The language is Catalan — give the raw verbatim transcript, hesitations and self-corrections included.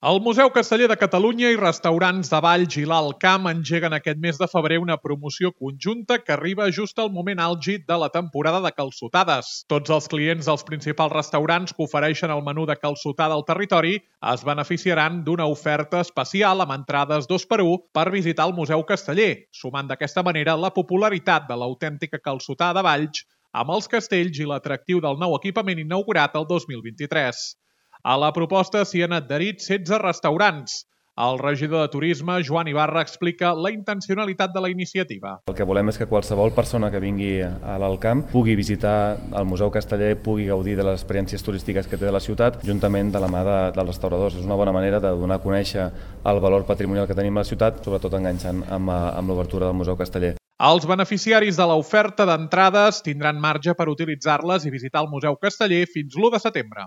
El Museu Casteller de Catalunya i restaurants de Valls i l'Alt Camp engeguen aquest mes de febrer una promoció conjunta que arriba just al moment àlgid de la temporada de calçotades. Tots els clients dels principals restaurants que ofereixen el menú de calçotada al territori es beneficiaran d'una oferta especial amb entrades dos per u per visitar el Museu Casteller, sumant d'aquesta manera la popularitat de l'autèntica calçotada de Valls amb els castells i l'atractiu del nou equipament inaugurat el dos mil vint-i-tres. A la proposta s'hi han adherit setze restaurants. El regidor de Turisme, Joan Ibarra, explica la intencionalitat de la iniciativa. El que volem és que qualsevol persona que vingui a l'Alt Camp pugui visitar el Museu Casteller, pugui gaudir de les experiències turístiques que té de la ciutat, juntament de la mà de, dels restauradors. És una bona manera de donar a conèixer el valor patrimonial que tenim a la ciutat, sobretot enganxant amb, amb l'obertura del Museu Casteller. Els beneficiaris de l'oferta d'entrades tindran marge per utilitzar-les i visitar el Museu Casteller fins l'u de setembre.